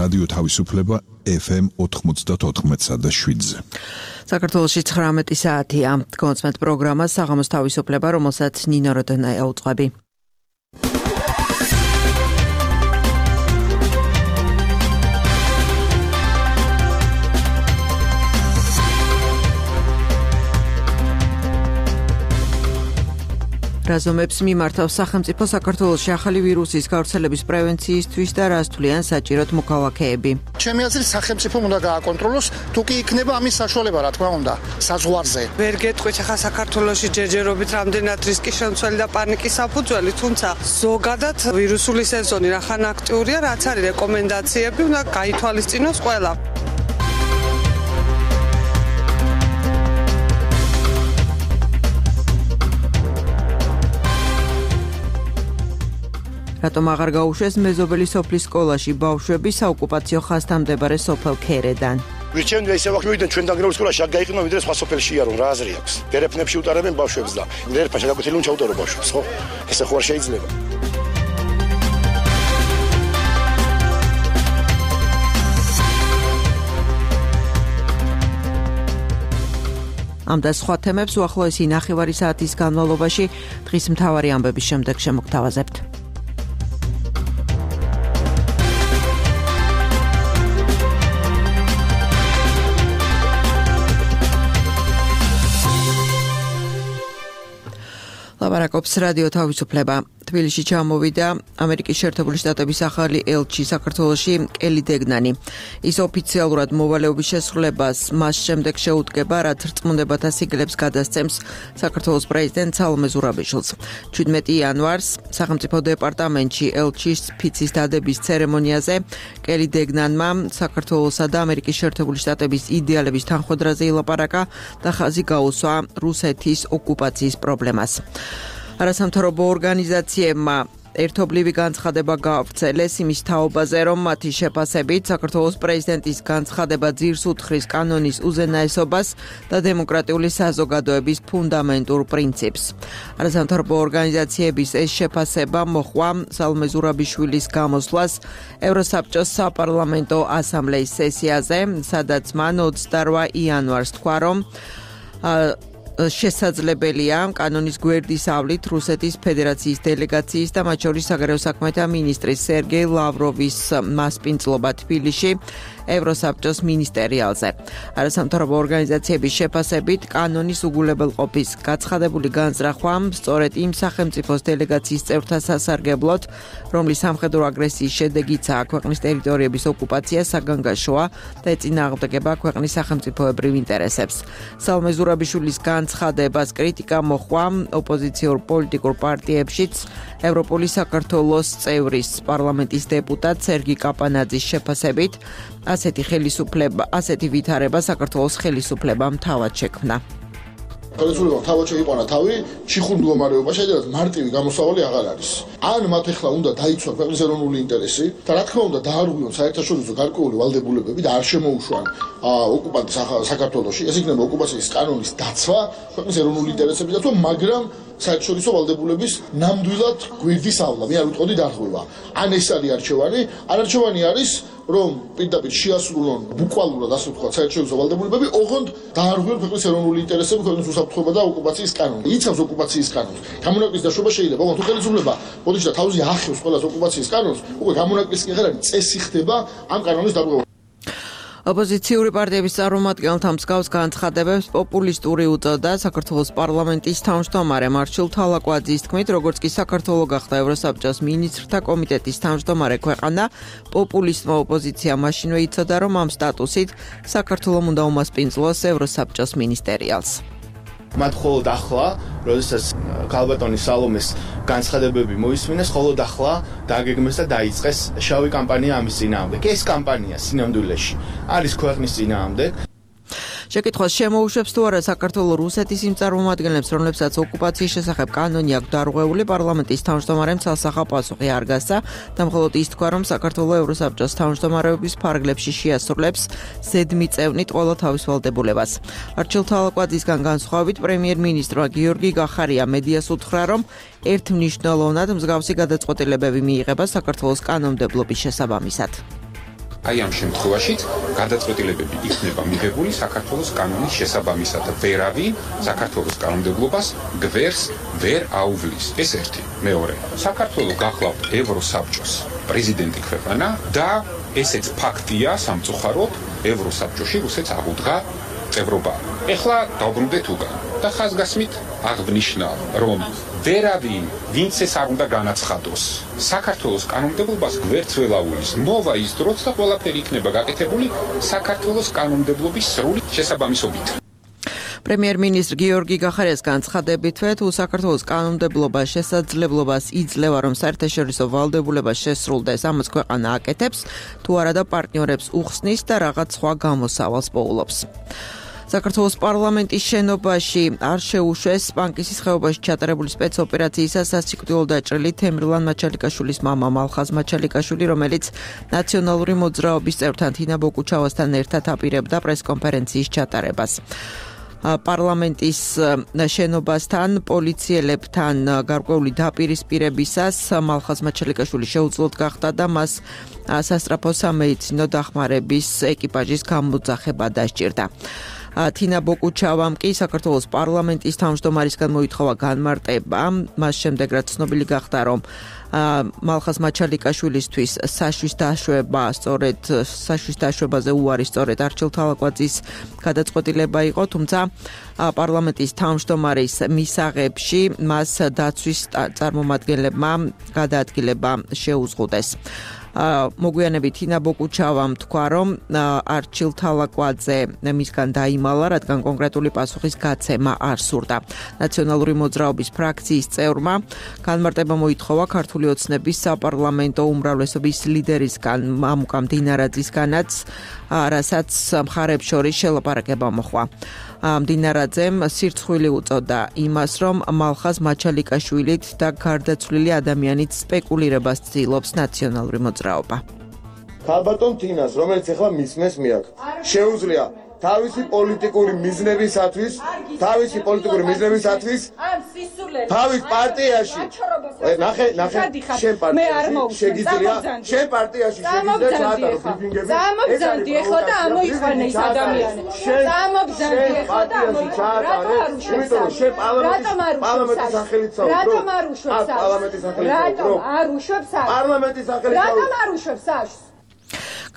რადიო თავისუფლება FM 94.7-ზე. საქართველოში 19 საათია. კონცერტ პროგრამა საღამოს თავისუფლება, რომელსაც ნინო როდონაია უწყები. რაზომებს მიმართავს სახელმწიფო საქართველოში ახალი ვირუსის გავრცელების პრევენციისთვის და რას თვლიან საჭიროდ მოქალაქეები. ჩემი აზრით სახელმწიფო უნდა გააკონტროლოს, თუ კი იქნება ამის საშუალება, რა თქმა უნდა, საზღვარზე. ვერ გეტყვით ახლა საქართველოში ჯერჯერობით რამდენად რისკის შემცველი და პანიკის საფუძველი, თუმცა ზოგადად ვირუსული სეზონი რახან აქტიურია, რაც არის რეკომენდაციები, უნდა გაითვალისწინოს ყველა. რატომ აღარ გაუშვეს მეზობელი სოფლის სკოლაში ბავშვები საოკუპაციო ხაზთან მდებარე სოფელ ქერედან? ვირჩევენ ისე ვახმოვიდნენ ჩვენ დაგრეულ სკოლაში, აქ გაიყენო ვიდრე სხვა სოფელშია, რომ რა აზრი აქვს. დერეფნებში უტარებენ ბავშვებს და დერეფა შეგაკეთილი უნდა ჩაუტარო ბავშვებს, ხო? ესე ხო არ შეიძლება. ამ და სხვა თემებს უახლოესი ნახევარი საათის განმავლობაში დღის მთავარი ამბების შემდეგ შემოგთავაზებთ. ლაპარაკობს რადიო თავისუფლება. თბილისში ჩამოვიდა ამერიკის შეერთებული შტატების ახალი ელჩი საქართველოში კელი დეგნანი. ის ოფიციალურად მოვალეობის შესრულებას მას შემდეგ შეუდგება, რაც რწმუნდებათა სიგელებს გადასცემს საქართველოს პრეზიდენტ სალომე ზურაბიშვილს. 17 იანვარს სახელმწიფო დეპარტამენტში ელჩის ფიცის დადების ცერემონიაზე კელი დეგნანმა საქართველოსა და ამერიკის შეერთებული შტატების იდეალების თანხმდრაზე ილაპარაკა და ხაზი გაუსვა რუსეთის ოკუპაციის პრობლემას. არასამთავრობო ორგანიზაციებმა ერთობლივი განცხადება გაავრცელეს იმის თაობაზე, რომ მათი შეფასებით საქართველოს პრეზიდენტის განცხადება ძირს უთხრის კანონის უზენაესობას და დემოკრატიული საზოგადოების ფუნდამენტურ პრინციპს. არასამთავრობო ორგანიზაციების ეს შეფასება მოჰყვა სალომე ზურაბიშვილის გამოსვლას ევროსაბჭოს საპარლამენტო ასამბლეის სესიაზე, სადაც მან 28 იანვარს თქვა, რომ შესაძლებელია კანონის გვერდის ავლით რუსეთის ფედერაციის დელეგაციის და მათ შორის საგარეო საქმეთა მინისტრის სერგეი ლავროვის მასპინძლობა თბილისში ევროსაბჭოს მინისტერიალზე. არასამთავრობო ორგანიზაციების შეფასებით კანონის უგულებელყოფის გაცხადებული განზრახვა სწორედ იმ სახელმწიფოს დელეგაციის წევრთა სასარგებლოდ, რომლის სამხედრო აგრესიის შედეგიცაა ქვეყნის ტერიტორიების ოკუპაცია, საგანგაშოა და ეწინააღმდეგება ქვეყნის სახელმწიფოებრივ ინტერესებს. სალომე ზურაბიშვილის განცხადებას კრიტიკა მოჰყვა ოპოზიციურ პოლიტიკურ პარტიებშიც. ევროპული საქართველოს წევრის პარლამენტის დეპუტატ სერგი კაპანაძის შეფასებით ასეთი ვითარება საქართველოს ხელისუფლებამ თავად შექმნა. ხელისუფლებამ თავად შეიყვანა თავი ჩიხურ მდგომარეობაში, სადაც მარტივი გამოსავალი აღარ არის. ან მათ ახლა უნდა დაიცვან ქვეყნის ეროვნული ინტერესი და რა თქმა უნდა დაარღვიონ საერთაშორისო გარკვეული ვალდებულებები და არ შემოუშვან ოკუპანტ საქართველოში. ეს იქნება ოკუპაციის კანონის დაცვა, ქვეყნის ეროვნული ინტერესების დაცვა, მაგრამ საერთაშორისო ვალდებულების ნამდვილად გვერდის ავლა. მე არ ვიტყოდი დარღვევა. ან ეს არის არჩევანი, არჩევანი არის რომ პირდაპირ შეასრულონ ბუკვალურად ასე ვთქვათ საერთაშორისო ვალდებულებები, ოღონდ დაარღვიონ ქვეყნის ეროვნული ინტერესები, ქვეყნის უსაფრთხოება და ოკუპაციის კანონი. იცავს ოკუპაციის კანონს. გამონაკლისის დაშვება შეიძლება, ოღონდ თუ ხელისუფლება მოდის და თავზე ახევს ყველას ოკუპაციის კანონს, უკვე გამონაკლისი კი აღარ არის, წესი ხდება ამ კანონის დარღვევა. ოპოზიციური პარტიების წარმომადგენელთა მსგავს განცხადებებს პოპულისტური უწოდა საქართველოს პარლამენტის თავმჯდომარე მარშალ თალაკვაძის თქმით, როგორც კი საქართველო გახდა ევროსაბჭოს მინისტრთა კომიტეტის თავმჯდომარე ქვეყანა, პოპულისტმა ოპოზიციამ მაშინვე იცოდა, რომ ამ სტატუსით საქართველომ უნდა უმასპინძლოს ევროსაბჭოს მინისტერიალს. მათ მხოლოდ ახლა, როდესაც ქალბატონი სალომეს განცხადებები მოისმინეს, მხოლოდ ახლა დაგეგმეს და დაიწყეს შავი კამპანია ამის წინააღმდეგ. ეს კამპანია სინამდვილეში არის ქვეყნის წინააღმდეგ. შეკითხვას შემოუშვებს თუ არა საქართველოს რუსეთის იმ წარმომადგენლებს, რომლებსაც ოკუპაციის შესახებ კანონი აქვს დარღვეული, პარლამენტის თავმჯდომარემ ცალსახა პასუხი არ გასცა და მხოლოდ ის თქვა, რომ საქართველოს ევროსაბჭოს თავმჯდომარეობის ფარგლებში შეასრულებს ზედმიწევნით ყველა თავის ვალდებულებას. მარშალ თალაკვაძისგან განსხვავებით, პრემიერ-მინისტრმა გიორგი გახარია მედიას უთხრა, რომ ერთმნიშვნელოვნად მსგავსი გადაწყვეტილებები მიიღება საქართველოს კანონმდებლობის შესაბამისად. აი ამ შემთხვევაშიც გადაწყვეტილებები იქნება მიღებული საქართველოს კანონის შესაბამისად. ვერავინ საქართველოს კანონმდებლობას გვერს ვერ აუვლის. ეს ერთი. მეორე. საქართველოს გახლავთ ევროსაბჭოს პრეზიდენტი ქვეყანა და ესეც ფაქტია სამწუხაროდ ევროსაბჭოში რუსეთს აღუდგა წევრობა. ეხლა დავბრუნდეთ უკან და ხაზგასმით აღნიშნა, რომ ვერავინ ვინც ეს არ უნდა განაცხადოს. საქართველოს კანონმდებლობას გვერდს ვერ აუვლის. მოვა ის დროც და ყველაფერი იქნება გაკეთებული საქართველოს კანონმდებლობის სრული შესაბამისობით. პრემიერ-მინისტრ გიორგი გახარიას განცხადებითვე, თუ საქართველოს კანონმდებლობა შესაძლებლობას იძლევა, რომ საერთაშორისო ვალდებულებას შესრულდეს, ამას ქვეყანა აკეთებს, თუ არა და პარტნიორებს უხსნის და რაღაც სხვა გამოსავალს პოულობს. საქართველოს პარლამენტის შენობაში არ შეუშვეს პანკისის ხეობაში ჩატარებული სპეცოპერაციისას სასიკვდილო დაჭრილი თემრლან მაჩალიკაშვილის მამა მალხაზ მაჩალიკაშვილი, რომელიც ნაციონალური მოძრაობის წევრთან თინა ბოკუჩავასთან ერთად აპირებდა პრესკონფერენციის ჩატარებას. პარლამენტის შენობასთან პოლიციელებთან გარკვეული დაპირისპირებისას მალხაზ მაჩალიკაშვილი შეუძლოდ გახდა და მას სასწრაფო სამედიცინო დახმარების ეკიპაჟის გამოძახება დასჭირდა. თინა ბოკუჩავამ კი საქართველოს პარლამენტის თავმჯდომარისგან მოითხოვა განმარტება, მას შემდეგ რაც ცნობილი გახდა, რომ მალხაზ მაჩალიკაშვილისთვის საშვის დაშვებაზე უარი სწორედ არჩილ თალაკვაძის გადაწყვეტილება იყო, თუმცა პარლამენტის თავმჯდომარის მისაღებში მას დაცვის წარმომადგენლებმა გადაადგილება შეუზღუდეს. მოგვიანებით თინა ბოკუჩავამ თქვა, რომ არჩილ თალაკვაძე მისგან დაიმალა, რადგან კონკრეტული პასუხის გაცემა არ სურდა. ნაციონალური მოძრაობის ფრაქციის წევრმა განმარტება მოითხოვა ქართული ოცნების საპარლამენტო უმრავლესობის ლიდერისგან მამუკა მდინარაძისგანაც, რასაც მხარებს შორის შელაპარაკება მოხდა. მდინარაძემ სირცხვილი უწოდა იმას, რომ მალხაზ მაჩალიკაშვილით და გარდაცვლილი ადამიანით სპეკულირებას ცდილობს ნაციონალური მოძრაობა. ქალბატონ თინას, რომელიც ახლა მისმეს მიაქ, შეუძლია თავისი პოლიტიკური მიზნებისათვის თავის პარტიაში ნახე შენ პარტიაში შეგიძლია შენ პარტიაში შეგიძლია ჩაატარო ბრიფინგები გამოგზავდი ეხლა და ამოიყვანე ის ადამიანი გამოგზავდი ეხლა და ამოიყვანე იმიტომ რომ შენ პარლამენტის სახელით საუბრობ რატომ არ უშვებს რატომ არ უშვებს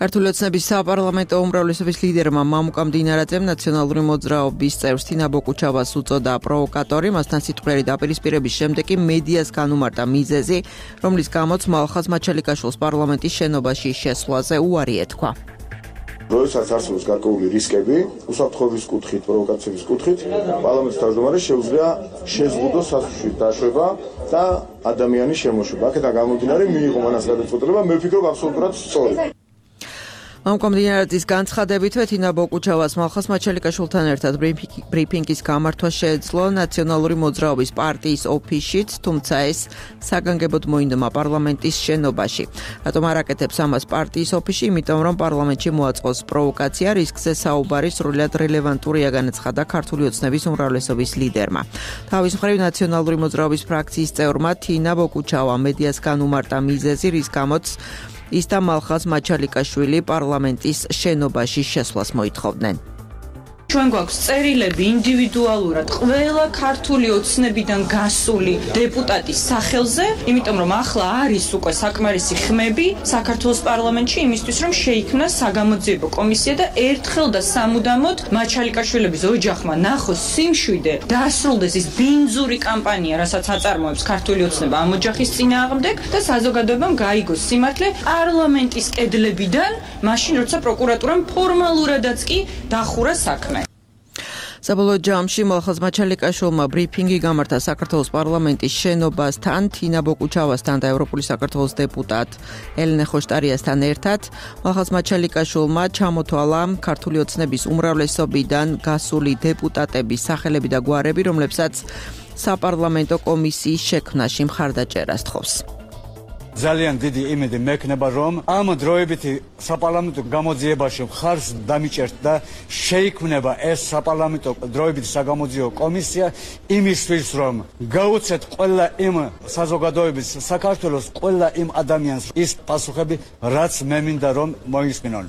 ქართული ოცნების საპარლამენტო უმრავლესობის ლიდერმა მამუკა მდინარაძემ ნაციონალური მოძრაობის წევრს თინა ბოკუჩავას უწოდა პროვოკატორი, მასთან სიტყვიერი დაპირისპირების შემდეგ კი მედიას განუმარტა მიზეზი, რომლის გამოც მალხაზ მაჩალიკაშვილს პარლამენტის შენობაში შესვლაზე უარი ეთქვა. როდესაც არსებობს გარკვეული რისკები, უსაფრთხოების კუთხით, პროვოკაციების კუთხით, პარლამენტის თავმჯდომარეს შეუძლია შეზღუდოს სასუში დაშვება და ადამიანის შემოშვება. აქედან გამომდინარე მიიღო მანას გადაწყვეტილება, მე ვფიქრობ აბსოლუტურად სწორი. მამუკა მდინარაძის განცხადებითვე თინა ბოკუჩავას მალხაზ მაჩალიკაშვილთან ერთად ბრიფინგის გამართვა შეეძლო ნაციონალური მოძრაობის პარტიის ოფისშიც, თუმცა ეს საგანგებოდ მოინდომა პარლამენტის შენობაში. რატომ არ აკეთებს ამას პარტიის ოფისში? იმიტომ რომ პარლამენტში მოაწყოს პროვოკაცია, რისკზე საუბარი სრულად რელევანტურია, განაცხადა ქართული ოცნების უმრავლესობის ლიდერმა. თავის მხრივ ნაციონალური მოძრაობის ფრაქციის წევრმა თინა ბოკუჩავა მედიას განუმარტა მიზეზი, რის გამოც ის და მალხაზ მაჩალიკაშვილი პარლამენტის შენობაში შესვლას მოითხოვდნენ. ჩვენ გვაქვს წერილები ინდივიდუალურად ყველა ქართული ოცნებიდან გასული დეპუტატის სახელზე, იმიტომ რომ ახლა არის უკვე საკმარისი ხმები საქართველოს პარლამენტში იმისთვის, რომ შეიქმნას საგამოძიებო კომისია და ერთხელ და სამუდამოდ მაჩალიკაშვილების ოჯახმა ნახოს სიმშვიდე, დასრულდეს ის ბინძური კამპანია, რასაც აწარმოებს ქართული ოცნება ამ ოჯახის წინააღმდეგ და საზოგადოებამ გაიგოს სიმართლე პარლამენტის კედლებიდან, მაშინ როცა პროკურატურამ ფორმალურადაც კი დახურა საქმე. საბოლოო ჯამში მალხაზ მაჩალიკაშვილმა ბრიფინგი გამართა საქართველოს პარლამენტის შენობასთან, თინა ბოკუჩავასთან და ევროპული საქართველოს დეპუტატ ელენე ხოშტარიასთან ერთად. მალხაზ მაჩალიკაშვილმა ჩამოთვალა ქართული ოცნების უმრავლესობიდან გასული დეპუტატების სახელები და გვარები, რომლებსაც საპარლამენტო კომისიის შექმნაში მხარდაჭერას თხოვს. ძალიან დიდი იმედი მექნება, რომ ამ დროებითი საპარლამენტო გამოძიებაში მხარს დამიჭერთ და შეიქმნება ეს საპარლამენტო დროებითი საგამოძიებო კომისია იმისთვის, რომ გაუწეთ ყველა იმ საზოგადოების საქართველოს ყველა იმ ადამიანს ის პასუხები, რაც მე მინდა რომ მოისმინონ.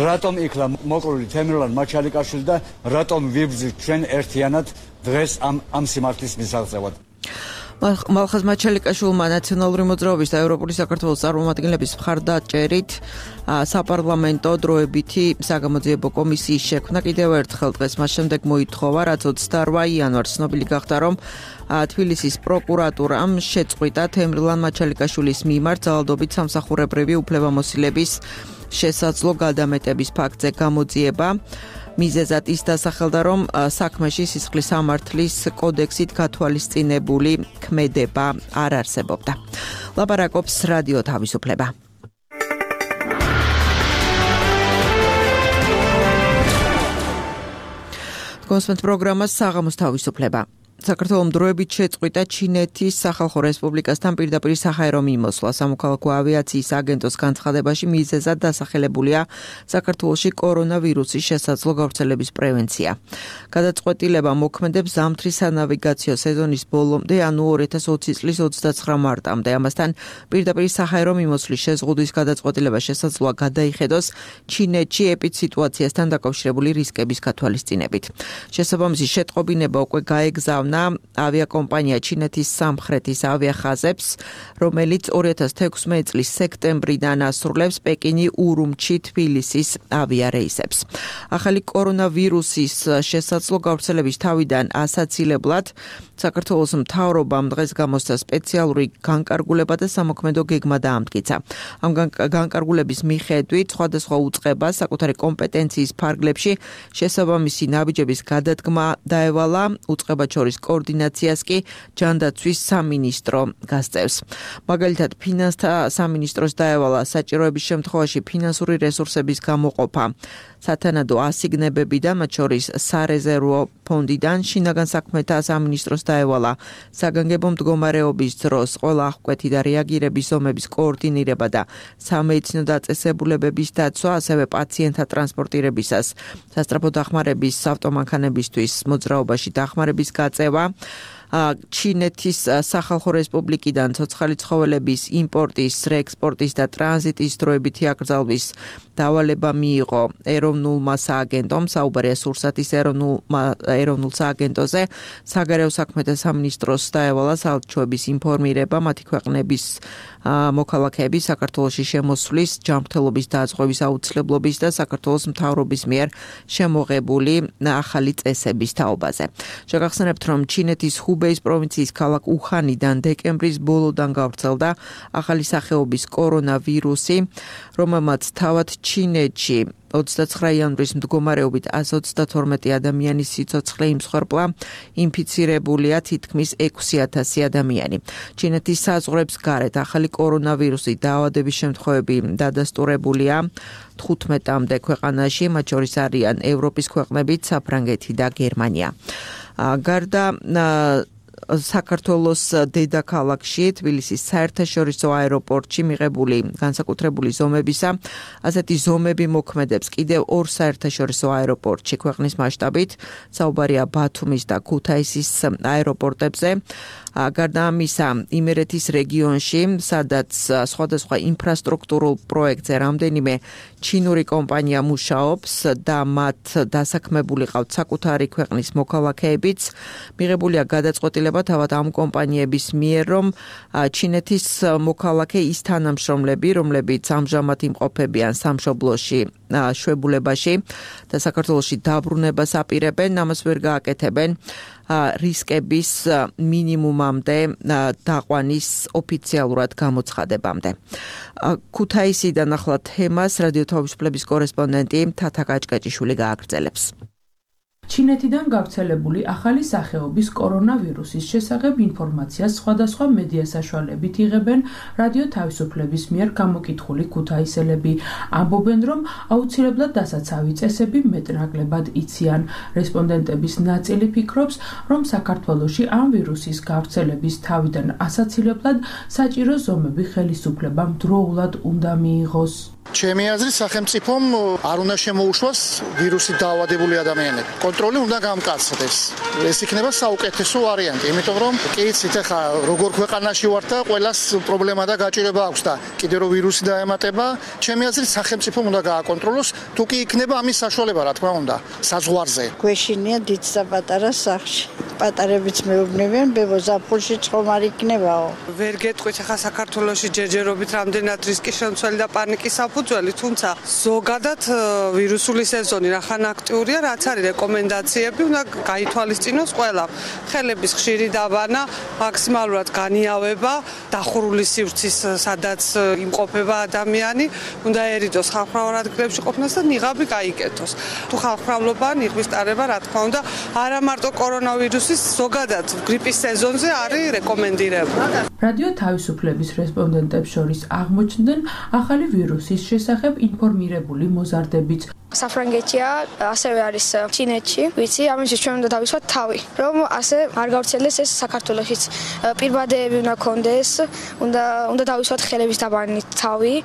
რატომ იქლა მოკლული თემურლან მაჩალიკაშვილი და რატომ ვიბრძვით ჩვენ ერთიანად დღეს ამ სიმართლის მისაღწევად. მალხაზ მაჩალიკაშვილმა ნაციონალური მოძრაობის და ევროპული საქართველოს წარმომადგენლების მხარდაჭერით საპარლამენტო დროებითი საგამოძიებო კომისიის შექმნა კიდევ ერთხელ დღეს მას შემდეგ მოითხოვა, რაც 28 იანვარს ცნობილი გახდა, რომ თბილისის პროკურატურამ შეწყვიტა თემრილან მაჩალიკაშვილის მიმართ ძალადობით სამსახურებრივი უფლებამოსილების შესაძლო გადამეტების ფაქტზე გამოძიება. მიზეზად ის დასახელდა, რომ საქმეში სისხლის სამართლის კოდექსით გათვალისწინებული ქმედება არ არსებობდა. ლაპარაკობს რადიო თავისუფლება. კონსპენთ პროგრამას საღამოს თავისუფლება. საქართველოს დროებით შეწყვიტა ჩინეთის სახალხო რესპუბლიკასთან პირდაპირ საჰაერო მიმოსვლა. სამოქალაქო ავიაციის აგენტოს განცხადებაში მიზეზად დასახელებულია საქართველოში კორონავირუსის შესაძლო გავრცელების პრევენცია. გადაწყვეტილება მოქმედებს ზამთრის სანავიგაციო სეზონის ბოლომდე, ანუ 2020 წლის 29 მარტამდე. ამასთან პირდაპირ საჰაერო მიმოსვლის შეზღუდვის გადაწყვეტილება შესაძლოა გადაიხედოს ჩინეთში ეპიდსიტუაციასთან დაკავშირებული რისკების გათვალისწინებით. შესაბამისი შეტყობინება უკვე გაეგზავნა ავიაკომპანია ჩინეთის სამხრეთის ავიახაზებს, რომელიც 2016 წლის სექტემბრიდან ასრულებს პეკინი ურუმჩი თბილისის ავიარეისებს. ახალი კორონავირუსის შესაძლო გავრცელების თავიდან ასაცილებლად საქართველოს მთავრობამ დღეს გამოსცა სპეციალური განკარგულება და სამოქმედო გეგმა დაამტკიცა. ამ განკარგულების მიხედვით სხვადასხვა უწყებას საკუთარი კომპეტენციის ფარგლებში შესაბამისი ნაბიჯების გადადგმა დაევალა, უწყებად შორის კოორდინაციას კი ჯანდაცვის სამინისტრო გასწევს. მაგალითად, ფინანსთა სამინისტროს დაევალა საჭიროების შემთხვევაში ფინანსური რესურსების გამოყოფა სათანადო ასიგნებებიდან, მათ შორის სარეზერვო ფონდიდან. შინაგან საქმეთა სამინისტროს დაევალა საგანგებო მდგომარეობის დროს ყველა აღკვეთი და რეაგირების ზომების კოორდინირება და სამედიცინო დაწესებულებების დაცვა, ასევე პაციენტთა ტრანსპორტირებისას სასწრაფო დახმარების ავტომანქანებისთვის მოძრაობაში დახმარების გაწევა. ჩინეთის სახალხო რესპუბლიკიდან ცოცხალი ცხოველების იმპორტის, რეექსპორტის და ტრანზიტის დროებითი აკრძალვის დავალება მიიღო ეროვნულმა სააგენტომ, საუბარია სურსათის ეროვნულ სააგენტოზე. საგარეო საქმეთა სამინისტროს დაევალა საელჩოების ინფორმირება მათი ქვეყნების მოქალაქეების საქართველოში შემოსვლის, ჯანმრთელობის დაზღვევის აუცილებლობის და საქართველოს მთავრობის მიერ შემოღებული ახალი წესების თაობაზე. შეგახსენებთ, რომ ჩინეთის ჰუბეის პროვინციის ქალაქ უხანიდან დეკემბრის ბოლოდან გავრცელდა ახალი სახეობის კორონავირუსი, რომელმაც თავად ჩინეთში 29 იანვრის მდგომარეობით 132 ადამიანის სიცოცხლე იმსხვერპლა, ინფიცირებულია თითქმის 6000 ადამიანი. ჩინეთის საზღვრებს გარეთ ახალი კორონავირუსი დაავადების შემთხვევები დადასტურებულია 15-მდე ქვეყანაში, მათ შორის არიან ევროპის ქვეყნები, საფრანგეთი და გერმანია. გარდა საქართველოს დედაქალაქში, თბილისის საერთაშორისო აეროპორტში მიღებული განსაკუთრებული ზომებისა, ასეთი ზომები მოქმედებს კიდევ ორ საერთაშორისო აეროპორტში ქვეყნის მასშტაბით, საუბარია ბათუმის და ქუთაისის აეროპორტებზე. გარდა ამისა, იმერეთის რეგიონში, სადაც სხვადასხვა ინფრასტრუქტურულ პროექტზე რამდენიმე ჩინური კომპანია მუშაობს და მათ დასაქმებული ყავთ საკუთარი ქვეყნის მოქალაქეებიც, მიღებულია გადაწყვეტილება თავად ამ კომპანიების მიერ, რომ ჩინეთის მოქალაქე ის თანამშრომლები, რომლებიც ამჟამად იმყოფებიან სამშობლოში შვებულებაში და საქართველოში დაბრუნებას აპირებენ, ამას ვერ გააკეთებენ რისკების მინიმუმამდე დაყვანის ოფიციალურად გამოცხადებამდე. ქუთაისიდან ახლა თემას რადიო თავისუფლების კორესპონდენტი თათა კაჭკაჭიშვილი გააგრძელებს. ჩინეთიდან გავრცელებული ახალი სახეობის კორონავირუსის შესახებ ინფორმაციას სხვადასხვა მედია საშუალებით იღებენ რადიო თავისუფლების მიერ გამოკითხული ქუთაისელები. ამბობენ, რომ აუცილებლად დასაცავი წესები მეტნაკლებად იციან. რესპონდენტების ნაწილი ფიქრობს, რომ საქართველოში ამ ვირუსის გავრცელების თავიდან ასაცილებლად საჭირო ზომები ხელისუფლებამ დროულად უნდა მიიღოს. ჩემი აზრით სახელმწიფომ არ უნდა შემოუშვას ვირუსით დაავადებული ადამიანები. კონტროლი უნდა გამკაცდეს. ეს იქნება საუკეთესო ვარიანტი, იმიტომ რომ კი იცით ახლა როგორ ქვეყანაში ვართ და ყველას პრობლემა და გაჭირება აქვს და კიდე რომ ვირუსი დაემატება, ჩემი აზრით სახელმწიფომ უნდა გააკონტროლოს, თუ კი იქნება ამის საშუალება, რა თქმა უნდა, საზღვარზე. გვეშინია დიდ და პატარა სახში. პატარებიც მეუბნებიან, ბებო ზაფხულში წყომ არ იქნებაო. ვერ გეტყვით ახლა საქართველოში ჯერჯერობით რამდენად რისკი შემცველი და პანიკის საფუძველი, თუმცა ზოგადად ვირუსული სეზონი რახან აქტიურია, რაც არის რეკომენდაციები, უნდა გაითვალისწინოს ყველა. ხელების ხშირი დაბანა, მაქსიმალურად განიავება, დახურული სივრცის სადაც იმყოფება ადამიანი, უნდა ერიდოს ხალხმრავალ ადგილებში ყოფნას და ნიღაბი გაიკეთოს. თუ ხალხმრავლობა, ნიღბის ტარება, რა თქმა უნდა, არა მარტო კორონავირუსის ზოგადად გრიპის სეზონზე არის რეკომენდირებული. რადიო თავისუფლების რესპონდენტებს შორის აღმოჩნდნენ ახალი ვირუსის შესახებ ინფორმირებული მოზარდებიც. საფრანგეთია, ასევე არის ჩინეთში, ვიცი, ამისთვის ჩვენ უნდა დავისვათ თავი, რომ ასე არ გავრცელდეს ეს საქართველოშიც. პირბადეები უნდა კონდეს, უნდა დავისვათ ხელების დაბანით თავი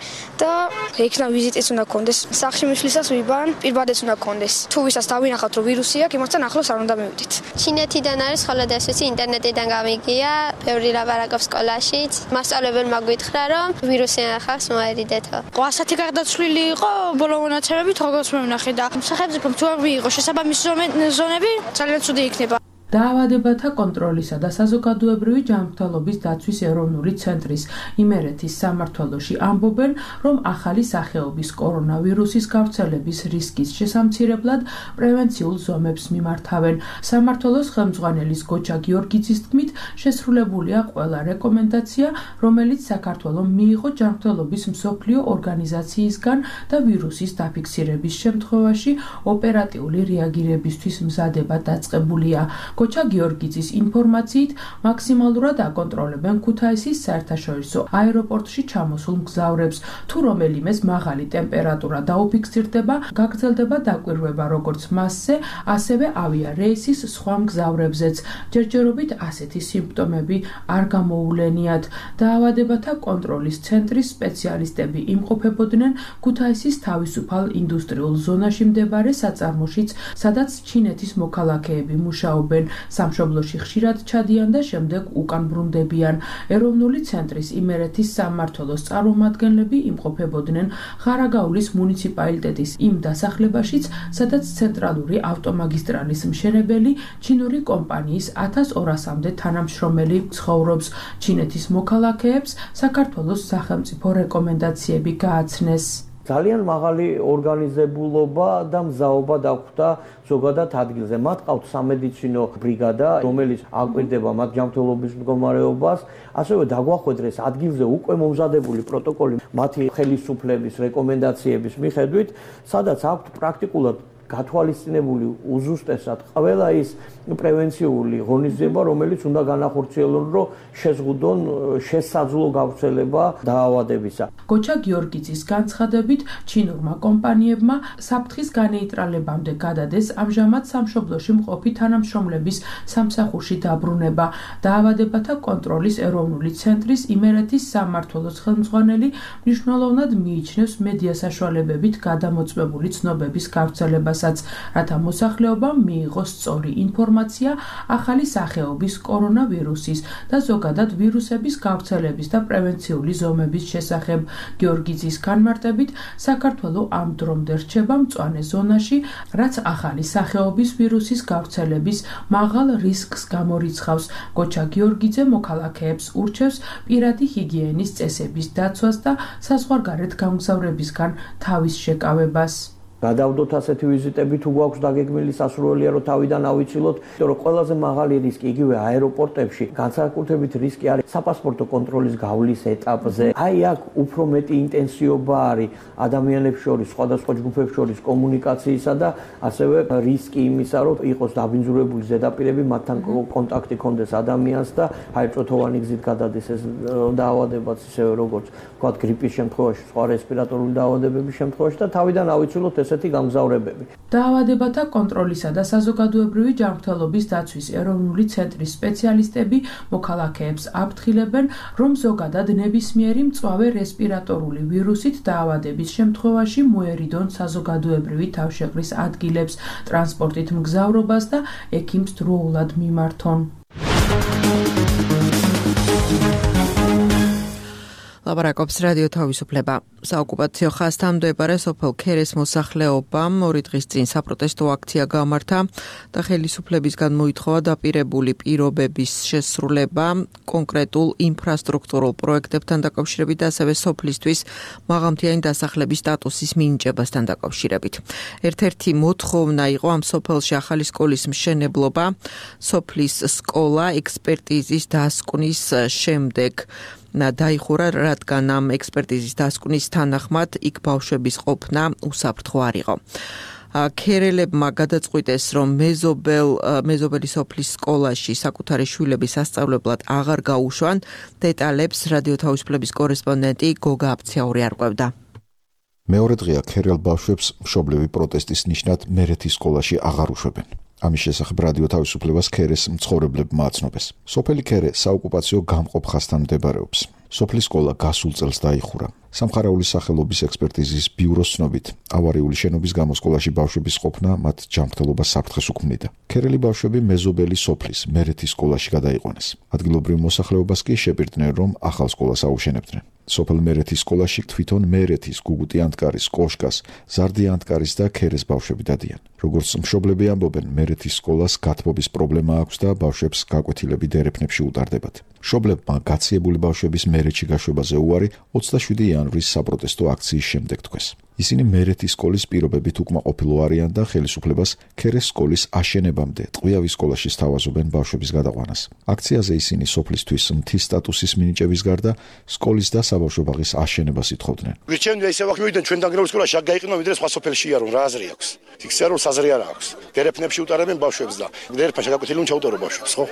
და იქნა ვიზიტიც უნდა კონდეს. სახში მისვლისას ვიბან, პირბადეც უნდა კონდეს. თუ ვისაც დავინახავთ, რომ ვირუსი აქვს, იმასთან ახლოს არ უნდა მივიდეთ. ჩინეთიდან არის, ხოლო ეს ვიცი, ინტერნეტიდან გამიგია, ბევრი ლაპარაკობს სკოლაშიც. მასწავლებელმა გითხრა, რომ ვირუსი ახავს, მოერიდეთო. ასეთი გარდაცვლილი იყო ბოლო მონაცემებით, როგორც ნახე და სახელმწიფომ თუ არ მიიღო შესაბამისი ზონები ძალიან ცუდი იქნება. დაავადებათა კონტროლისა და საზოგადოებრივი ჯანმრთელობის დაცვის ეროვნული ცენტრის იმერეთის სამმართველოში ამბობენ, რომ ახალი სახეობის კორონავირუსის გავრცელების რისკის შესამცირებლად პრევენციულ ზომებს მიმართავენ. სამმართველოს ხელმძღვანელის გოჩა გიორგიძის თქმით, შესრულებულია ყველა რეკომენდაცია, რომელიც საქართველომ მიიღო ჯანმრთელობის მსოფლიო ორგანიზაციისგან და ვირუსის დაფიქსირების შემთხვევაში ოპერატიული რეაგირებისთვის მზადება დაწყებულია. გოჩა გიორგიძის ინფორმაციით მაქსიმალურად აკონტროლებენ ქუთაისის საერთაშორისო აეროპორტში ჩამოსულ მგზავრებს. თუ რომელიმეს მაღალი ტემპერატურა დაუფიქსირდება, გაგრძელდება დაკვირვება როგორც მასზე, ასევე ავიარეისის სხვა მგზავრებზეც. ჯერჯერობით ასეთი სიმპტომები არ გამოულენიათ. დაავადებათა კონტროლის ცენტრის სპეციალისტები იმყოფებოდნენ ქუთაისის თავისუფალ ინდუსტრიულ ზონაში მდებარე საწარმოშიც, სადაც ჩინეთის მოქალაქეები მუშაობენ. სამშობლოში ხშირად ჩადიან და შემდეგ უკან ბრუნდებიან. ეროვნული ცენტრის იმერეთის სამმართველოს წარმომადგენლები იმყოფებოდნენ ხარაგაულის მუნიციპალიტეტის იმ დასახლებაშიც, სადაც ცენტრალური ავტომაგისტრალის მშენებელი ჩინური კომპანიის 1200-მდე თანამშრომელი ცხოვრობს. ჩინეთის მოქალაქეებს საქართველოს სახელმწიფო რეკომენდაციები გააცნეს. ძალიან მაღალი ორგანიზებულობა და მზაობა დაგვხვდა ზოგადად ადგილზე. მათ ყავთ სამედიცინო ბრიგადა, რომელიც აკვირდება მათ ჯანმრთელობის მდგომარეობას, ასევე დაგვახვედრეს ადგილზე უკვე მომზადებული პროტოკოლი მათი ხელისუფლების რეკომენდაციების მიხედვით, სადაც აქვთ პრაქტიკულად გათვალისწინებული უზუსტესად ყველა ის პრევენციული ღონისძიება, რომელიც უნდა განახორციელონ, რომ შეზღუდონ შესაძლო გავრცელება დაავადებისა. გოჩა გიორგიძის განცხადებით, ჩინურმა კომპანიებმა საფრთხის განეიტრალებამდე გადადეს ამჟამად სამშობლოში მყოფი თანამშრომლების სამსახურში დაბრუნება. დაავადებათა კონტროლის ეროვნული ცენტრის იმერეთის სამმართველოს ხელმძღვანელი მნიშვნელოვნად მიიჩნევს მედია საშუალებებით გადამოწმებული ცნობების გავრცელებასაც, რათა მოსახლეობამ მიიღოს სწორი ინფორმაცია ახალი სახეობის კორონავირუსის და ზოგადად ვირუსების გავრცელების და პრევენციული ზომების შესახებ. გიორგიძის განმარტებით, საქართველო ამ დრომდე რჩება მწვანე ზონაში, რაც ახალი სახეობის ვირუსის გავრცელების მაღალ რისკს გამორიცხავს. გოჩა გიორგიძე მოქალაქეებს ურჩევს პირადი ჰიგიენის წესების დაცვას და საზღვარგარეთ გამგზავრებისგან თავის შეკავებას. გადავდოთ ასეთი ვიზიტები თუ გვაქვს დაგეგმილი სასურველია რომ თავიდან ავიცილოთ, იმიტომ რომ ყველაზე მაღალი რისკი იგივე აეროპორტებში განსაკუთრებით რისკი არის საპასპორტო კონტროლის გავლის ეტაპზე. აი აქ უფრო მეტი ინტენსივობა არის ადამიანებს შორის, სხვადასხვა ჯგუფებს შორის კომუნიკაციისა და ასევე რისკი იმისა, რომ იყოს დაბინძურებული ზედაპირები, მათთან კონტაქტი კონდეს ადამიანს და ჰაერწოთოვანი გზით გადადეს ეს დაავადებაც ისევე როგორც ვთქვათ გრიპის შემთხვევაში, სხვა რესპირატორული დაავადებების შემთხვევაში და თავიდან ავიცილოთ ესეთი გამგზავრებები. დაავადებათა კონტროლისა და საზოგადოებრივი ჯანმრთელობის დაცვის ეროვნული ცენტრის სპეციალისტები მოქალაქეებს აფრთხილებენ, რომ ზოგადად ნებისმიერი მწვავე რესპირატორული ვირუსით დაავადების შემთხვევაში მოერიდონ საზოგადოებრივი თავშეყრის ადგილებს, ტრანსპორტით მგზავრობას და ექიმს დროულად მიმართონ. ლაპარაკობს რადიო თავისუფლება. საოკუპაციო ხაზთან მდებარე სოფელ ქერეს მოსახლეობამ 2 დღის წინ საპროტესტო აქცია გამართა და ხელისუფლებისგან მოითხოვა დაპირებული პირობების შესრულება კონკრეტულ ინფრასტრუქტურულ პროექტებთან დაკავშირებით და ასევე სოფლისთვის მაღალმთიანი დასახლების სტატუსის მინიჭებასთან დაკავშირებით. ერთ-ერთი მოთხოვნა იყო ამ სოფელში ახალი სკოლის მშენებლობა, სოფლის სკოლა ექსპერტიზის დასკვნის შემდეგ დაიხურა, რადგან ამ ექსპერტიზის დასკვნის თანახმად იქ ბავშვების ყოფნა უსაფრთხო არ იყო. ქერელებმა გადაწყვიტეს, რომ მეზობელი სოფლის სკოლაში საკუთარი შვილების სასწავლებლად აღარ გაუშვან. დეტალებს რადიო თავისუფლების კორესპონდენტი გოგა აფცაური არკვევდა. მეორე დღეა ქერელ ბავშვებს მშობლები პროტესტის ნიშნად მერეთის სკოლაში აღარ უშვებენ. ამის შესახებ რადიო თავისუფლებას ქერეს მცხოვრებლებმა აცნობეს. სოფელი ქერე საოკუპაციო გამყოფ ხაზთან მდებარეობს. სოფლის სკოლა გასულ წელს დაიხურა. სამხარაულის სახელობის ექსპერტიზის ბიუროს ცნობით, ავარიული შენობის გამო სკოლაში ბავშვების ყოფნა მათ ჯანმრთელობას საფრთხეს უქმნიდა. ქერელი ბავშვები მეზობელი სოფლის მერეთის სკოლაში გადაიყვანეს. ადგილობრივ მოსახლეობას კი შეპირდნენ, რომ ახალ სკოლას აუშენებდნენ. სოფელ მერეთის სკოლაში თვითონ მერეთის, გუგუტი ანტკარის, კოშკას, ზარდი ანტკარის და ქერეს ბავშვები დადიან. როგორც მშობლები ამბობენ, მერეთის სკოლას გათბობის პრობლემა აქვს და ბავშვებს გაკვეთილები დერეფნებში უტარდებათ. მშობლებმა გაციებული ბავშვების მერეთში გაშვებაზე უარი 27 იანვრის საპროტესტო აქციის შემდეგ თქვეს. ისინი მერეთის სკოლის პირობებით უკმაყოფილო არიან და ხელისუფლებას ქერეს სკოლის აშენებამდე ტყვიავის სკოლაში სთავაზობენ ბავშვების გადაყვანას. აქციაზე ისინი სოფლისთვის მთის სტატუსის მინიჭების გარდა სკოლის და საბავშვო ბაღის აშენებას ითხოვდნენ. ვირჩევენ ისე ვახ მივიდნენ ჩვენ დანგრეულ სკოლაში აქ გაიყინო ვიდრე სხვა სოფელში იარონ რა აზრი აქვს. ფიქსია რომ საზრი არ აქვს. დერეფნებში უტარებენ ბავშვებს და დერეფნში გაკვეთილი უნდა ჩაუტარო ბავშვებს, ხო?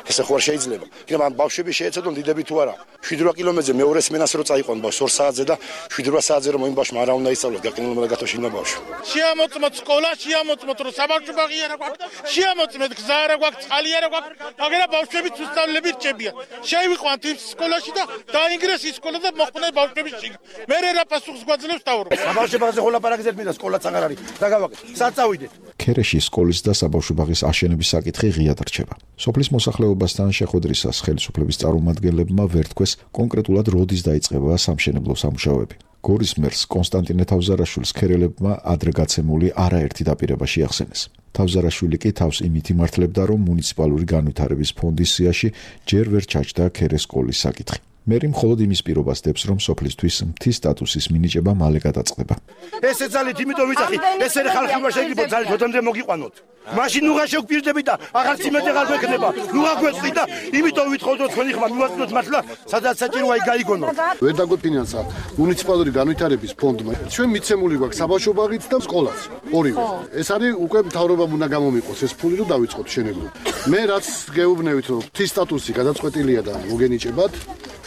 ესე ხო არ შეიძლება. იქნება ამ ბავშვები შეეცადონ დიდები თუ არა. 7-8 კილომეტრზე მეორე სმენას რო წაიყვან ბავშვს 2 საათზე და 7-8 საათზე რომ იმ ბავშვმა არა უნდა ისწავლოს გაკინულმა და გათოშინა ბავშვი. შეამოწმოთ სკოლა, შეამოწმოთ რომ საბავშვო ბაღი არა გვაქვს, შეამოწმეთ გზა არა გვაქვს, წყალი არა გვაქვს, მაგრამ ბავშვებიც უსწავლები რჩებიან. შევიყვანთ იმ სკოლაში და დაინგრეს ის სკოლა და მოხდნენ ბავშვები შიგ. მე რა პასუხს გვაძლევს თავრობ. საბავშვო ბაღზე ხო ლაპარაკეთ მინდა სკოლაც აღარ არის. დაგავაკეთ. სად წავიდეთ? ქერეში სკოლის და საბავშვო ბაღის აშენების საკითხი ღიად რჩება. სოფლის მოსახლეობასთან შეხვედრისას ხელისუფლების წარმომადგენლებმა ვერ თქვეს კონკრეტულად როდის დაიწყება სამშენებლო სამუშაოები. გორის მერს კონსტანტინე თავზარაშვილს ქერელებმა ადრე გაცემული არაერთი დაპირება შეახსენეს. თავზარაშვილი კი თავს იმით იმართლებდა, რომ მუნიციპალური განვითარების ფონდის სიაში ჯერ ვერ ჩაჯდა ქერეს სკოლის საკითხი. მერი მხოლოდ იმის პირობას დებს, რომ სოფლისთვის მთის სტატუსის მინიჭება მალე გადაწყდება. ესე ძალით იმიტომ ვიწახი, ესე ხალხი უნდა შეიძლება ძალით ოდემდე მოგიყვანოთ. მაშინ ნუღა შევგვირდებით და აღარც იმედი აღარ გვექნება. ნუღა გვეწყდი და იმიტომ ვითხოვთ თქვენი ხმა მივაწვდოთ მართლა, სადაც საჭიროა იქ გაიგონოთ. ვერ დაგვეფინანსა მუნიციპალური განვითარების ფონდმა. ჩვენ მიცემული გვაქვს საბავშვო ბაღიც და სკოლაც. ორივე. ეს არის უკვე მთავრობამ უნდა გამომიყოს ეს ფული რომ დავიწყოთ შენებლობა. მე რაც გეუბნევით რომ მთის სტატუსი გადაწყვეტილია და მოგენიჭებათ.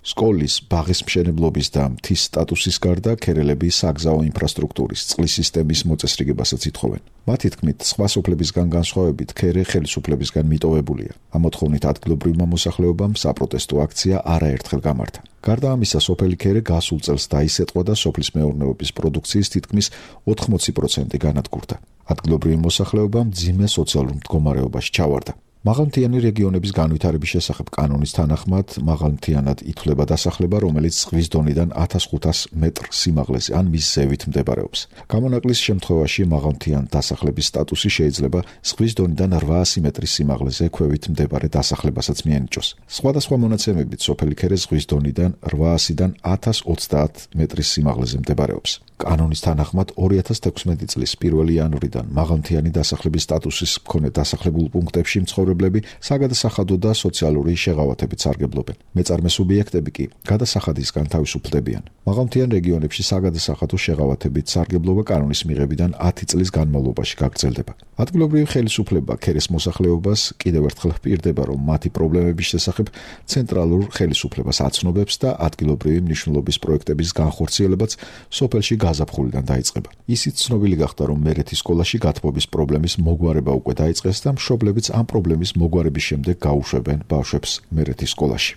სკოლის, ბაღის მშენებლობის და მთის სტატუსის გარდა ქერელები საგზაო ინფრასტრუქტურის, წყლის სისტემის მოწესრიგებასაც ითხოვენ. მათი თქმით, სხვა სოფლებისგან განსხვავებით, ქერე ხელისუფლებისგან მიტოვებულია. ამ მოთხოვნით ადგილობრივმა მოსახლეობამ საპროტესტო აქცია არაერთხელ გამართა. გარდა ამისა, სოფელი ქერე გასულ წელს დაისეტყვა და სოფლის მეურნეობის პროდუქციის თითქმის 80% განადგურდა. ადგილობრივი მოსახლეობა მძიმე სოციალურ მდგომარეობაში ჩავარდა. მაღალმთიანი რეგიონების განვითარების შესახებ კანონის თანახმად მაღალმთიანად ითვლება დასახლება, რომელიც ზღვის დონიდან 1500 მეტრ სიმაღლეზე ან მის ზევით მდებარეობს. გამონაკლის შემთხვევაში მაღალმთიან დასახლების სტატუსი შეიძლება ზღვის დონიდან 800 მეტრის სიმაღლეზე ქვევით მდებარე დასახლებასაც მიენიჭოს. სხვადასხვა მონაცემებით სოფელი ქერე ზღვის დონიდან 800-დან 1030 მეტრის სიმაღლეზე მდებარეობს. კანონის თანახმად 2016 წლის 1 იანვრიდან მაღალმთიანი დასახლების სტატუსის მქონე დასახლებულ პუნქტებში მცხოვრებლები საგადასახადო და სოციალური შეღავათებით სარგებლობენ. მეწარმე სუბიექტები კი გადასახადისგან თავისუფლდებიან. მაღალმთიან რეგიონებში საგადასახადო შეღავათებით სარგებლობა კანონის მიღებიდან 10 წლის განმავლობაში გაგრძელდება. ადგილობრივი ხელისუფლება ქერეს მოსახლეობას კიდევ ერთხელ ჰპირდება, რომ მათი პრობლემების შესახებ ცენტრალურ ხელისუფლებას აცნობებს და ადგილობრივი მნიშვნელობის პროექტების განხორციელებაც სოფელში გაზაფხულიდან დაიწყება. ისიც ცნობილი გახდა, რომ მერეთის სკოლაში გათბობის პრობლემის მოგვარება უკვე დაიწყეს და მშობლებიც ამ პრობლემის მოგვარების შემდეგ გაუშვებენ ბავშვებს მერეთის სკოლაში.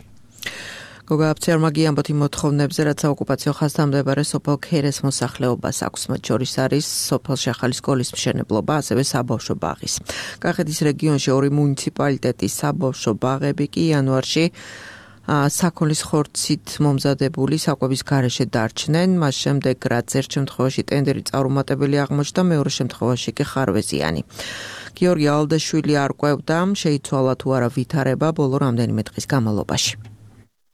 გოგა აფცერმაგი ამბოთი მოთხოვნებზე, რაც საოკუპაციო ხაზთამდებარე სოფელ ქერეს მოსახლეობას აქვს, მათ შორის არის სოფელში ახალი სკოლის მშენებლობა, ასევე საბავშვო ბაღის. კახეთის რეგიონში 2 მუნიციპალიტეტის საბავშვო ბაღები კი იანვარში საქონლის ხორცით მომზადებული საკვების გარეშე დარჩნენ, მას შემდეგ რაც ერთ შემთხვევაში ტენდერი წარუმატებელი აღმოჩნდა, მეორე შემთხვევაში კი ხარვეზიანი. გიორგი ალდაშვილი არ ყვევდა, შეიცვალა თუ არა ვითარება ბოლო რამდენიმე დღის განმავლობაში.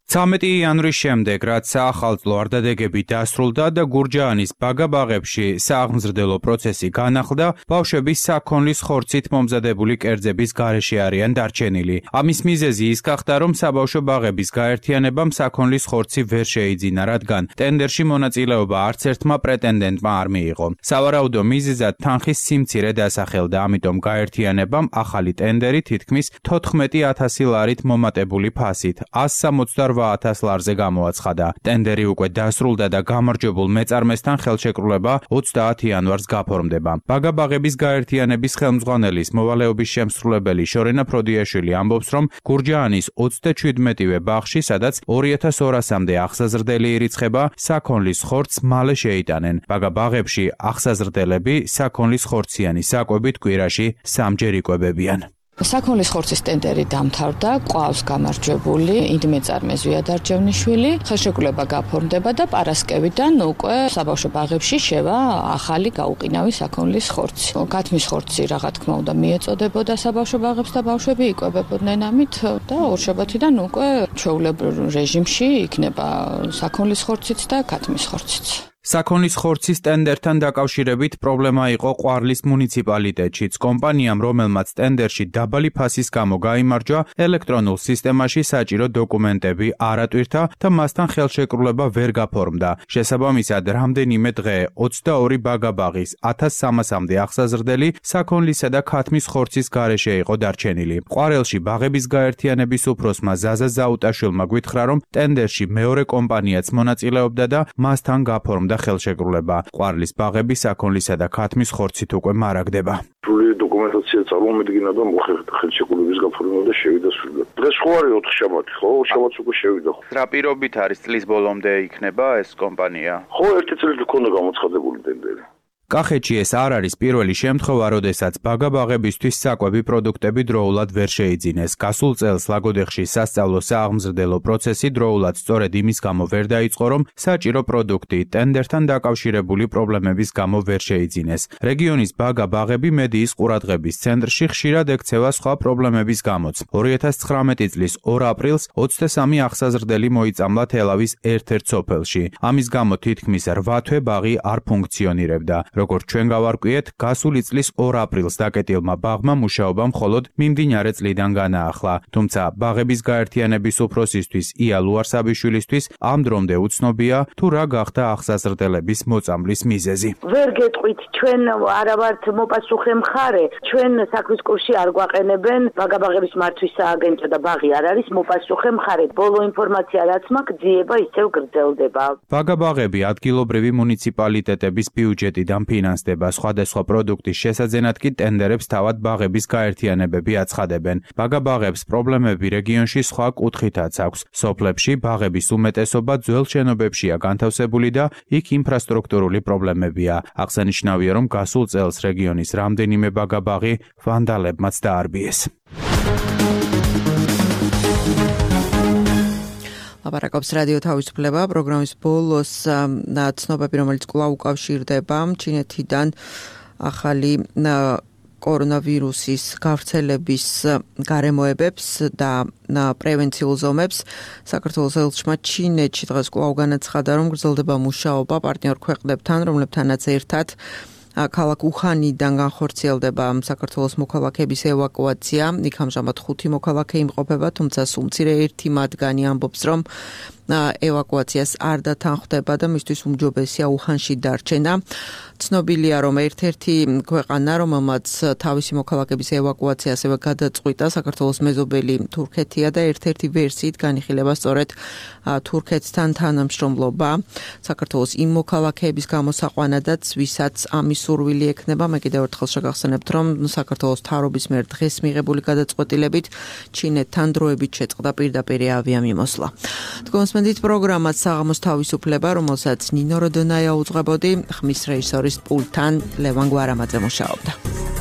13 იანვრის შემდეგ, რაც საახალწლო არდადეგები დასრულდა და გურჯაანის ბაგაბაღებში სააღმზრდელო პროცესი განახლდა, ბავშვები საქონლის ხორცით მომზადებული კერძების გარეშე არიან დარჩენილი. ამის მიზეზი ის გახდა, რომ საბავშვო ბაღების გაერთიანებამ საქონლის ხორცი ვერ შეიძინა, რადგან ტენდერში მონაწილეობა არც ერთმა პრეტენდენტმა არ მიიღო. სავარაუდო მიზეზად თანხის სიმცირე დასახელდა, ამიტომ გაერთიანებამ ახალი ტენდერი თითქმის 14,000 ლარით მომატებული ფასით 168,000 ლარზე გამოაცხადა. ტენდერი უკვე დასრულდა და გამარჯვებულ მეწარმესთან ხელშეკრულება 30 იანვარს გაფორმდება. ბაგაბაღების გაერთიანების ხელმძღვანელის მოვალეობის შემსრულებელი შორენა ფროდიაშვილი ამბობს, რომ გურჯაანის 37-ვე ბაღში, სადაც 2200-მდე აღსაზრდელი ირიცხება, საქონლის ხორცს მალე შეიტანენ. ბაგაბაღებში აღსაზრდელები საქონლის ხორციანი საკვებით კვირაში 3 ჯერ იკვებებიან. საქონლის ხორცის ტენდერი დამთავრდა, ყავს გამარჯვებული ინდმეწარმე ზვიად არჯევნიშვილი, ხელშეკრულება გაფორმდება და პარასკევიდან უკვე საბავშვო ბაღებში შევა ახალი გაუყინავი საქონლის ხორცი. გათმის ხორცი რა თქმა უნდა მიეწოდებოდა საბავშვო ბაღებს და ბავშვები იკვებებოდნენ ამით და ორშაბათიდან უკვე ჩვეულებრივ რეჟიმში იქნება საქონლის ხორციც და გათმის ხორციც. საქონლის ხორცის ტენდერთან დაკავშირებით პრობლემა იყო ყვარლის მუნიციპალიტეტშიც. კომპანიამ, რომელმაც ტენდერში დაბალი ფასის გამო გაიმარჯვა, ელექტრონულ სისტემაში საჭირო დოკუმენტები არ ატვირთა და მასთან ხელშეკრულება ვერ გაფორმდა. შესაბამისად, რამდენიმე დღე 22 ბაგაბაღის 1300-მდე აღსაზრდელი საქონლისა და ქათმის ხორცის გარეშე იყო დარჩენილი. ყვარელში ბაღების გაერთიანების უფროსმა ზაზა ზაუტაშვილმა გვითხრა, რომ ტენდერში მეორე კომპანიაც მონაწილეობდა და მასთან გაფორმდა ხელშეკრულება. ყვარლის ბაღები საქონლისა და ქათმის ხორცით უკვე მარაგდება. სრული დოკუმენტაცია წარმოუდგინა და მოხერხდა ხელშეკრულების გაფორმება და შევიდა სრულად. დღეს ხო არის 4 შაბათი, ხო? 4 შაბათს უკვე შევიდა. რა პირობით არის წლის ბოლომდე იქნება ეს კომპანია? ხო, 1 წელი გქონდა გამოცხადებული ტენდერი. კახეთში ეს არ არის პირველი შემთხვევა, როდესაც ბაგაბაღებისთვის საკვები პროდუქტები დროულად ვერ შეიძინეს. გასულ წელს ლაგოდეხში სასწავლო სააღმზრდელო პროცესი დროულად სწორედ იმის გამო ვერ დაიწყო, რომ საჭირო პროდუქტი ტენდერთან დაკავშირებული პრობლემების გამო ვერ შეიძინეს. რეგიონის ბაგაბაღები მედიის ყურადღების ცენტრში ხშირად ექცევა სხვა პრობლემების გამოც. 2019 წლის 2 აპრილს 23 აღსაზრდელი მოიწამლა თელავის ერთ-ერთ სოფელში. ამის გამო თითქმის 8 თვე ბაღი არ ფუნქციონირებდა. როგორც ჩვენ გავარკვიეთ, გასული წლის 2 აპრილს დაკეტილმა ბაღმა მუშაობა მხოლოდ მიმდინარე წლიდან განაახლა. თუმცა ბაღების გაერთიანების უფროსისთვის ია ლუარსაბიშვილისთვის ამ დრომდე უცნობია, თუ რა გახდა აღსაზრდელების მოწამვლის მიზეზი. ვერ გეტყვით, ჩვენ არა ვართ მოპასუხე მხარე, ჩვენ საქმის კურსში არ გვაყენებენ, ბაგაბაღების მართვის სააგენტო და ბაღი არ არის მოპასუხე მხარე. ბოლო ინფორმაცია რაც მაქვს, ძიება ისევ გრძელდება. ბაგაბაღები ადგილობრივი მუნიციპალიტეტების ბიუჯეტიდან ფინანსდება, სხვადასხვა პროდუქტის შესაძენად კი ტენდერებს თავად ბაღების გაერთიანებები აცხადებენ. ბაგაბაღებს პრობლემები რეგიონში სხვა კუთხითაც აქვს. სოფლებში ბაღების უმეტესობა ძველ შენობებშია განთავსებული და იქ ინფრასტრუქტურული პრობლემებია. აღსანიშნავია, რომ გასულ წელს რეგიონის რამდენიმე ბაგაბაღი ვანდალებმაც დაარბიეს. ლაპარაკობს რადიო თავისუფლება პროგრამის ბოლოს ცნობები, რომელიც კვლავ უკავშირდება ჩინეთიდან ახალი კორონავირუსის გავრცელების გარემოებებს და პრევენციულ ზომებს. საქართველოს ელჩმა ჩინეთში დღეს კვლავ განაცხადა, რომ გრძელდება მუშაობა პარტნიორ ქვეყნებთან, რომლებთანაც ერთად ქალაქ უხანიდან განხორციელდება საქართველოს მოქალაქეების ევაკუაცია. იქ ამჟამად 5 მოქალაქე იმყოფება, თუმცა სულ მცირე ერთი მათგანი ამბობს, რომ ევაკუაციას არ დათანხმდება და მისთვის უმჯობესია უხანში დარჩენა. ცნობილია, რომ ერთ-ერთი ქვეყანა, რომელმაც თავისი მოქალაქეების ევაკუაცია ასევე გადაწყვიტა, საქართველოს მეზობელი თურქეთია და ერთ-ერთი ვერსიით განიხილება სწორედ თურქეთთან თანამშრომლობა. საქართველოს იმ მოქალაქეების გამოსაყვანადაც, ვისაც ამის სურვილი ექნება. მე კიდევ ერთხელ შეგახსენებთ, რომ საქართველოს მთავრობის მიერ დღეს მიღებული გადაწყვეტილებით ჩინეთთან დროებით შეწყდა პირდაპირ ავიამიმოსვლა. თქვენსმენდით პროგრამას საღამოს თავისუფლება, რომელსაც ნინო როდონაია უძღვებოდი, ხმის რეჟისორის პულტთან ლევან გვარამაძე მუშაობდა.